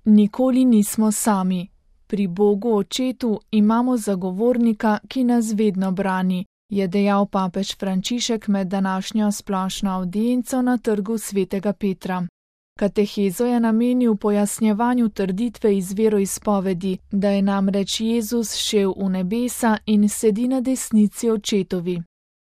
Nikoli nismo sami. Pri Bogu Očetu imamo zagovornika, ki nas vedno brani, je dejal papež Frančišek med današnjo splošno avdienco na trgu svetega Petra. Katehezo je namenil pojasnjevanju trditve iz veroizpovedi, da je namreč Jezus šel v nebesa in sedi na desnici Očetovi.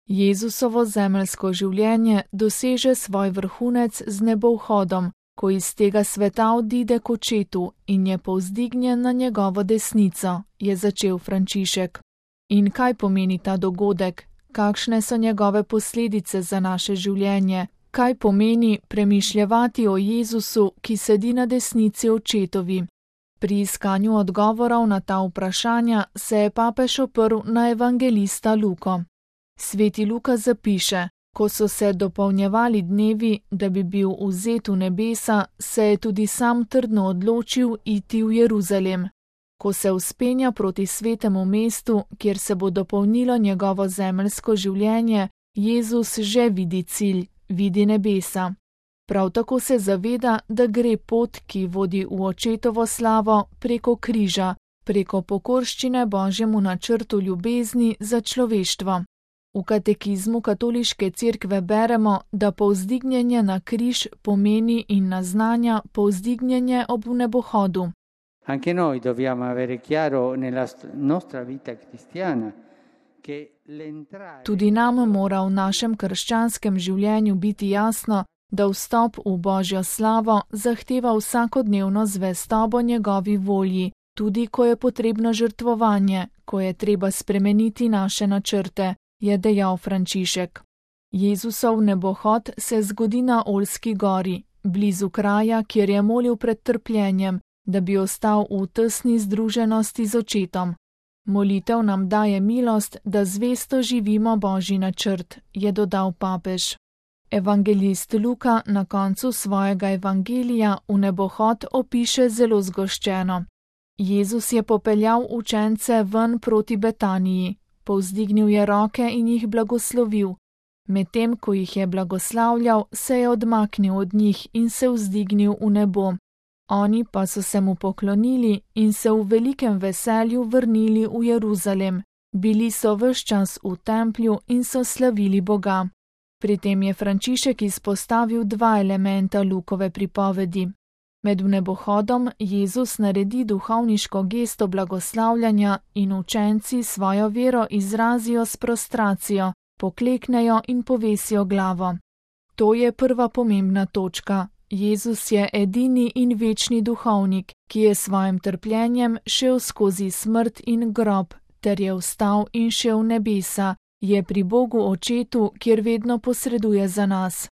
Jezusovo zemeljsko življenje doseže svoj vrhunec z nebovhodom, ko iz tega sveta odide k Očetu in je povzdignjen na njegovo desnico, je začel Frančišek. In kaj pomeni ta dogodek? Kakšne so njegove posledice za naše življenje? Kaj pomeni premišljevati o Jezusu, ki sedi na desnici Očetovi? Pri iskanju odgovorov na ta vprašanja se je papež oprl na evangelista Luko. Sveti Luka zapiše: ko so se dopolnjevali dnevi, da bi bil vzet v nebesa, se je tudi sam trdno odločil iti v Jeruzalem. Ko se vzpenja proti svetemu mestu, kjer se bo dopolnilo njegovo zemeljsko življenje, Jezus že vidi cilj, vidi nebesa. Prav tako se zaveda, da gre pot, ki vodi v Očetovo slavo, preko križa, preko pokorščine Božjemu načrtu ljubezni za človeštvo. V katekizmu katoliške cerkve beremo, da povzdignjenje na križ pomeni in naznanja povzdignjenje ob nebohodu. Anche noi dobbiamo avere chiaro nella nostra vita cristiana che l'entrare. Tudi nam mora v našem krščanskem življenju biti jasno, da vstop v Božjo slavo zahteva vsakodnevno zvestobo njegovi volji, tudi ko je potrebno žrtvovanje, ko je treba spremeniti naše načrte, je dejal Frančišek. Jezusov nebohod se zgodi na Oljski gori, blizu kraja, kjer je molil pred trpljenjem, da bi ostal v tesni združenosti z Očetom. Molitev nam daje milost, da zvesto živimo Božji načrt, je dodal papež. Evangelist Luka na koncu svojega evangelija v nebohod opiše zelo zgoščeno. Jezus je popeljal učence ven proti Betaniji, povzdignil je roke in jih blagoslovil. Medtem ko jih je blagoslavljal, se je odmaknil od njih in se vzdignil v nebo. Oni pa so se mu poklonili in se v velikem veselju vrnili v Jeruzalem. Bili so ves čas v templju in so slavili Boga. Pri tem je Frančišek izpostavil dva elementa Lukove pripovedi. Med nebohodom Jezus naredi duhovniško gesto blagoslavljanja in učenci svojo vero izrazijo s prostracijo, pokleknejo in povesijo glavo. To je prva pomembna točka. Jezus je edini in večni duhovnik, ki je svojim trpljenjem šel skozi smrt in grob, ter je vstal in šel v nebesa, je pri Bogu Očetu, kjer vedno posreduje za nas.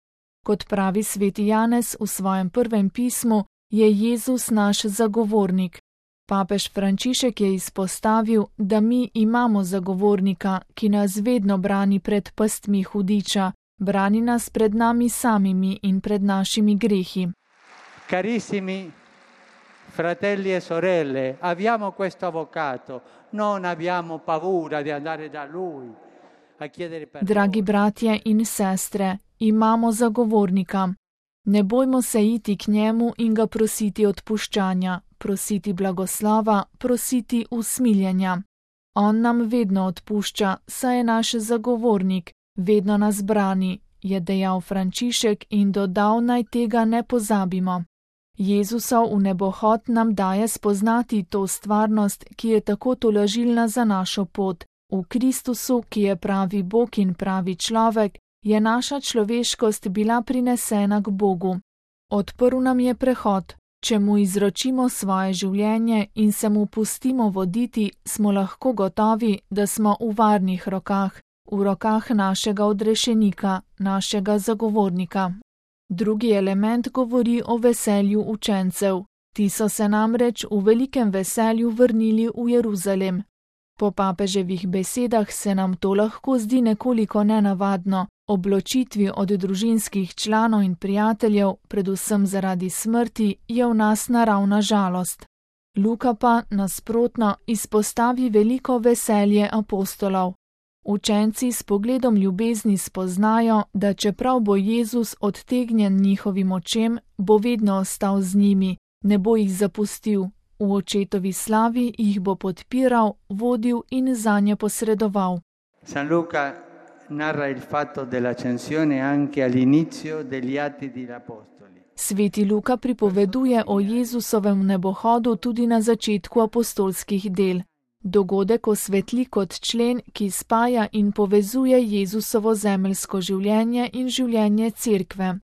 Kot pravi sveti Janez v svojem prvem pismu, je Jezus naš zagovornik. Papež Frančišek je izpostavil, da mi imamo zagovornika, ki nas vedno brani pred pastmi hudiča, brani nas pred nami samimi in pred našimi grehi. Carissimi fratelli e sorelle, abbiamo questo avvocato, non abbiamo paura di andare da lui a chiedere perdono. Dragi bratje in sestre, imamo zagovornika. Ne bojmo se iti k njemu in ga prositi odpuščanja, prositi blagoslova, prositi usmiljenja. On nam vedno odpušča, saj je naš zagovornik, vedno nas brani, je dejal Frančišek in dodal, naj tega ne pozabimo. Jezusov v nebohod nam daje spoznati to stvarnost, ki je tako tolažilna za našo pot. V Kristusu, ki je pravi Bog in pravi človek, je naša človeškost bila prinesena k Bogu. Odprl nam je prehod. Če mu izročimo svoje življenje in se mu pustimo voditi, smo lahko gotovi, da smo v varnih rokah, v rokah našega odrešenika, našega zagovornika. Drugi element govori o veselju učencev. Ti so se namreč v velikem veselju vrnili v Jeruzalem. Po papeževih besedah se nam to lahko zdi nekoliko nenavadno, ob ločitvi od družinskih članov in prijateljev, predvsem zaradi smrti, je v nas naravna žalost. Luka pa, nasprotno, izpostavi veliko veselje apostolov. Učenci s pogledom ljubezni spoznajo, da čeprav bo Jezus odtegnjen njihovim očem, bo vedno ostal z njimi, Ne bo jih zapustil, v očetovi slavi jih bo podpiral, vodil in zanje posredoval. San Luca narra il fatto dell'ascensione anche all'inizio degli Atti degli Apostoli. Sveti Luka pripoveduje o Jezusovem nebohodu tudi na začetku apostolskih del. Dogodek osvetli kot člen, ki spaja in povezuje Jezusovo zemeljsko življenje in življenje Cerkve.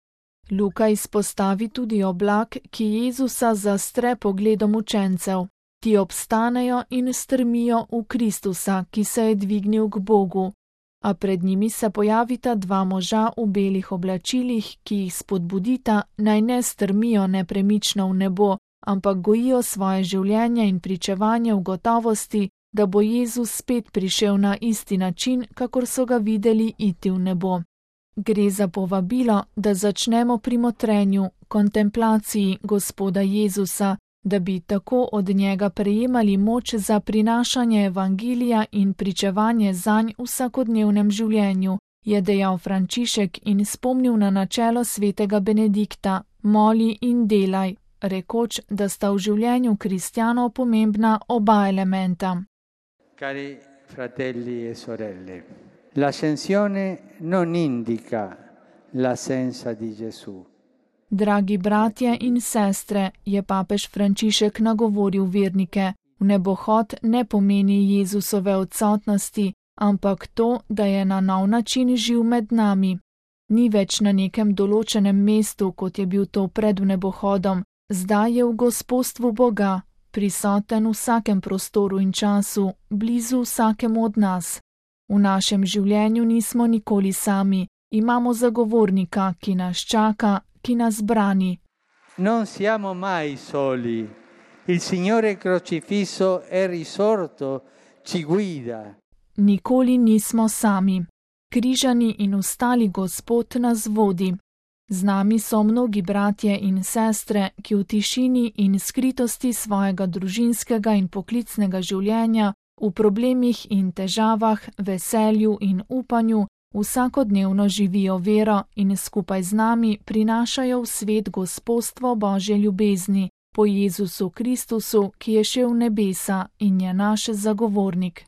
Luka izpostavi tudi oblak, ki Jezusa zastre pogledom učencev. Ti obstanejo in strmijo v Kristusa, ki se je dvignil k Bogu. A pred njimi se pojavita dva moža v belih oblačilih, ki jih spodbudita, naj ne strmijo nepremično v nebo, ampak gojijo svoje življenje in pričevanje v gotovosti, da bo Jezus spet prišel na isti način, kakor so ga videli iti v nebo. Gre za povabilo, da začnemo pri motrenju, kontemplaciji Gospoda Jezusa, da bi tako od njega prejemali moč za prinašanje evangelija in pričevanje zanj v vsakodnevnem življenju, je dejal Frančišek in spomnil na načelo svetega Benedikta: moli in delaj, rekoč, da sta v življenju kristjanov pomembna oba elementa. Cari fratelli e sorelle, l'ascensione non indica l'assenza di Gesù. Dragi bratje in sestre, je papež Frančišek nagovoril vernike, nebohod ne pomeni Jezusove odsotnosti, ampak to, da je na nov način živ med nami. Ni več na nekem določenem mestu, kot je bil to pred nebohodom, zdaj je v gospodstvu Boga, prisoten v vsakem prostoru in času, blizu vsakemu od nas. V našem življenju nismo nikoli sami, imamo zagovornika, ki nas čaka, ki nas brani. Non siamo mai soli. Il Signore crocifisso è risorto, ci guida. Nikoli nismo sami. Križani in ustali Gospod nas vodi. Z nami so mnogi bratje in sestre, ki v tišini in skritosti svojega družinskega in poklicnega življenja, v problemih in težavah, veselju in upanju, vsakodnevno živijo vero in skupaj z nami prinašajo v svet gospodstvo Božje ljubezni po Jezusu Kristusu, ki je šel v nebesa in je naš zagovornik.